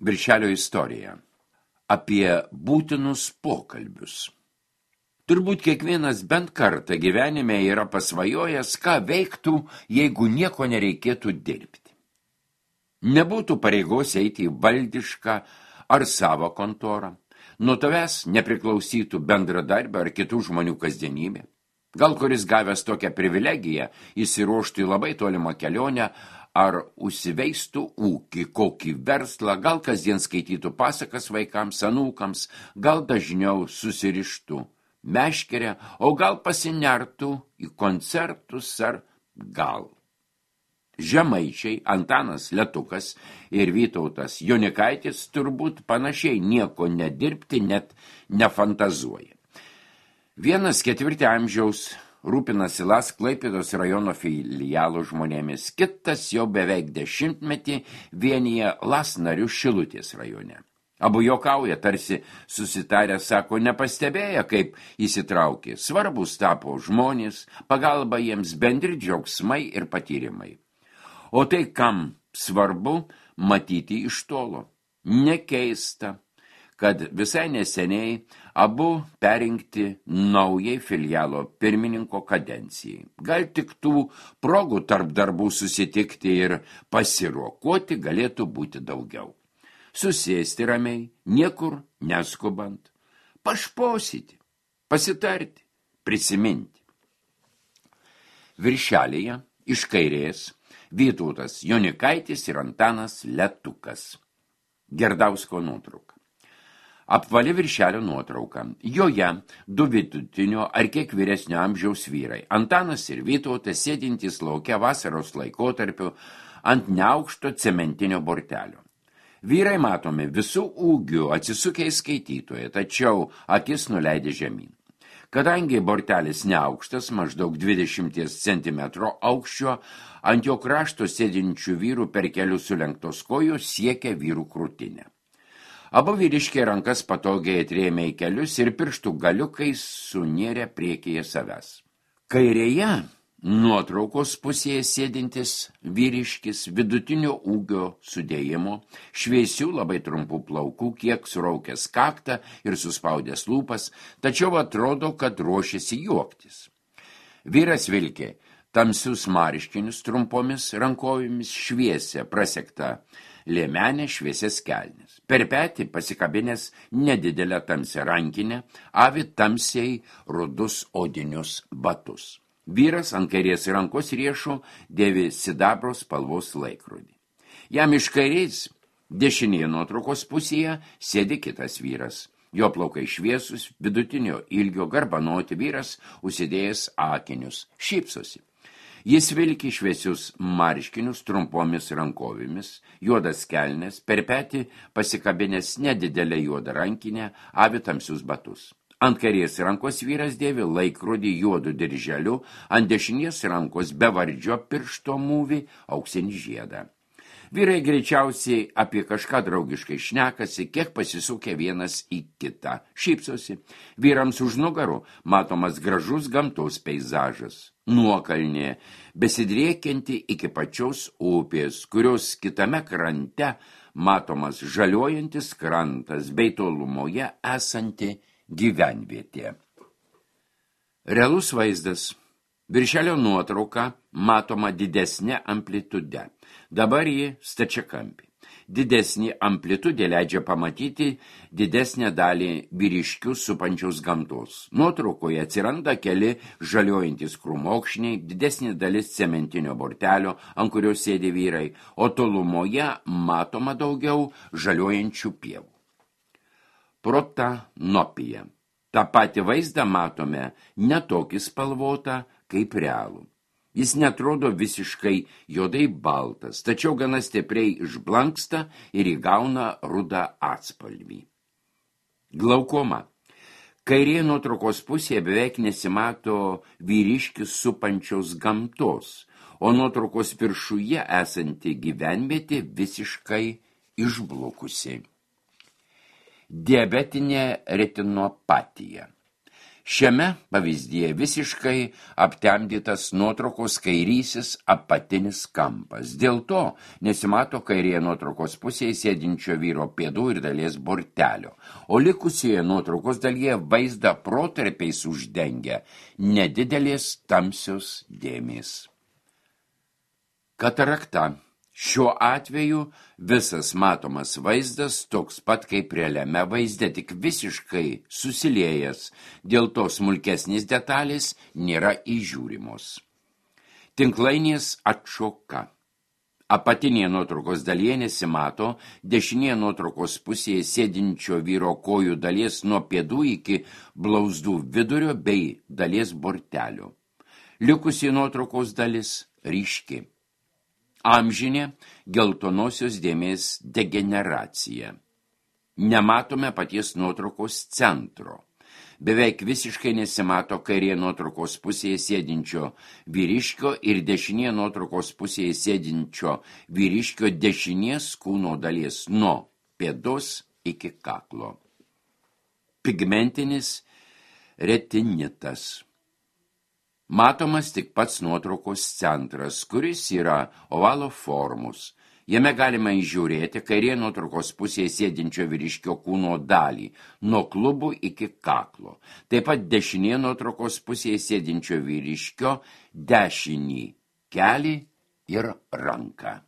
Viršelio istorija. Apie būtinus pokalbius. Turbūt kiekvienas bent kartą gyvenime yra pasvajojęs, ką veiktų, jeigu nieko nereikėtų dirbti. Nebūtų pareigos eiti į valdišką ar savo kontorą. Nuo tavęs nepriklausytų bendradarbio ar kitų žmonių kasdienybė. Gal kuris gavęs tokią privilegiją įsiruoštų į labai tolimą kelionę ar užsiveistų ūkį, kokį verslą, gal kasdien skaitytų pasakas vaikams, anūkams, gal dažniau susirištų meškerę, o gal pasinertų į koncertus ar gal. Žemaičiai Antanas Letukas ir Vytautas Jonikaitis turbūt panašiai nieko nedirbti net nefantazuoja. Vienas 4 amžiaus rūpinasi Las Klaipėdos rajono filialo žmonėmis, kitas jau beveik 10-metį vienyje Las narių Šilutės rajone. Abu juokauja, tarsi susitarę, sako, nepastebėję, kaip įsitraukė. Svarbus tapo žmonės, pagalba jiems bendri džiaugsmai ir patyrimai. O tai, kam svarbu, matyti iš tolo. Nekeista, kad visai neseniai abu perinkti naujai filialo pirmininko kadencijai. Gal tik tų progų tarp darbų susitikti ir pasiruokoti galėtų būti daugiau. Susėsti ramiai, niekur neskubant, pašposyti, pasitarti, prisiminti. Viršelėje iš kairės Vytautas Jonikaitis ir Antanas Letukas. Gerdausko nuotrauka. Apvali viršelio nuotrauka. Joje 2 vidutinio ar kiek vyresnio amžiaus vyrai. Antanas ir Vytautas sėdintys lauke vasaros laikotarpiu ant neaukšto cementinio bortelio. Vyrai matomi visų ūgių atsisukę į skaitytoją, tačiau akis nuleidė žemyn. Kadangi bortelis neaukštas, maždaug 20 cm aukščio, ant jo krašto sėdinčių vyrų per kelius sulenktos kojos siekia vyrų krūtinę. Abu vyriškiai rankas patogiai atrėmė į kelius ir pirštų galiukais sunėrė priekyje savęs. Kairėje nuotraukos pusėje sėdintis vyriškis vidutinio ūgio sudėjimo, šviesių labai trumpų plaukų, kiek suraukęs kaktą ir suspaudęs lūpas, tačiau atrodo, kad ruošiasi juoktis. Vyras vilkė tamsius marškinius trumpomis rankovėmis, šviesia prasekta liemenė, šviesias kelnes. Per petį pasikabinęs nedidelę tamsią rankinę, avi tamsiai rudus odinius batus. Vyras ant kairės rankos riešo dėvi sidabro spalvos laikrodį. Jam iš kairės dešinėje nuotraukos pusėje sėdi kitas vyras. Jo plaukai šviesus, vidutinio ilgio garbanoti vyras, užsidėjęs akinius, šypsosi. Jis vilki šviesius marškinius trumpomis rankovėmis, juodas kelnes, per petį pasikabinęs nedidelę juodą rankinę, avi tamsius batus. Ant kairės rankos vyras dėvi laikrodį juodu dirželiu, ant dešinės rankos bevardžio piršto mūvį auksinį žiedą. Vyrai greičiausiai apie kažką draugiškai šnekasi, kiek pasisukę vienas į kitą. Šypsosi. Vyrams už nugarų matomas gražus gamtos peizažas. Nuokalnė, besidriekianti iki pačios upės, kurios kitame krante matomas žaliuojantis krantas bei tolumoje esanti gyvenvietė. Realus vaizdas. Viršelio nuotrauka matoma didesnė amplitude. Dabar ji stačiakampė. Didesnį amplitudę leidžia pamatyti didesnę dalį vyriškių supančios gamtos. Nuotraukoje atsiranda keli žaliuojantis krūmokšniai, didesnė dalis cementinio bortelio, ant kurio sėdi vyrai, o tolumoje matoma daugiau žaliuojančių pievų. Protanopija. Ta pati vaizdą matome netokį spalvotą kaip realų. Jis netrodo visiškai juodai baltas, tačiau gana stipriai išblanksta ir įgauna rudą atspalvį. Glaukoma. Kairėje nuotraukos pusėje beveik nesimato vyriškis supančios gamtos, o nuotraukos viršuje esanti gyvenvietė visiškai išblukusi. Diabetinė retinopatija. Šiame pavyzdyje visiškai aptemdytas nuotraukos kairysis apatinis kampas. Dėl to nesimato kairėje nuotraukos pusėje sėdinčio vyro pėdų ir dalies bortelio, o likusioje nuotraukos dalyje vaizdą protarpiais uždengia nedidelės tamsios dėmės. Katarakta. Šiuo atveju visas matomas vaizdas toks pat kaip realiame vaizde, tik visiškai susiliejęs, dėl to smulkesnės detalės nėra įžiūrimos. Tinklainės atšoka. Apatinėje nuotraukos dalyje nesimato dešinėje nuotraukos pusėje sėdinčio vyro kojų dalies nuo pėdų iki blauzdų vidurio bei dalies bortelio. Likusi nuotraukos dalis ryški. Amžinė geltonosios dėmės degeneracija. Nematome paties nuotraukos centro. Beveik visiškai nesimato kairėje nuotraukos pusėje sėdinčio vyriškio ir dešinėje nuotraukos pusėje sėdinčio vyriškio dešinės kūno dalies nuo pėdos iki kaklo. Pigmentinis retinitas. Matomas tik pats nuotraukos centras, kuris yra ovalo formos. Jame galima įžiūrėti kairėje nuotraukos pusėje sėdinčio vyriškio kūno dalį, nuo klubų iki kaklo. Taip pat dešinėje nuotraukos pusėje sėdinčio vyriškio dešinį kelį ir ranką.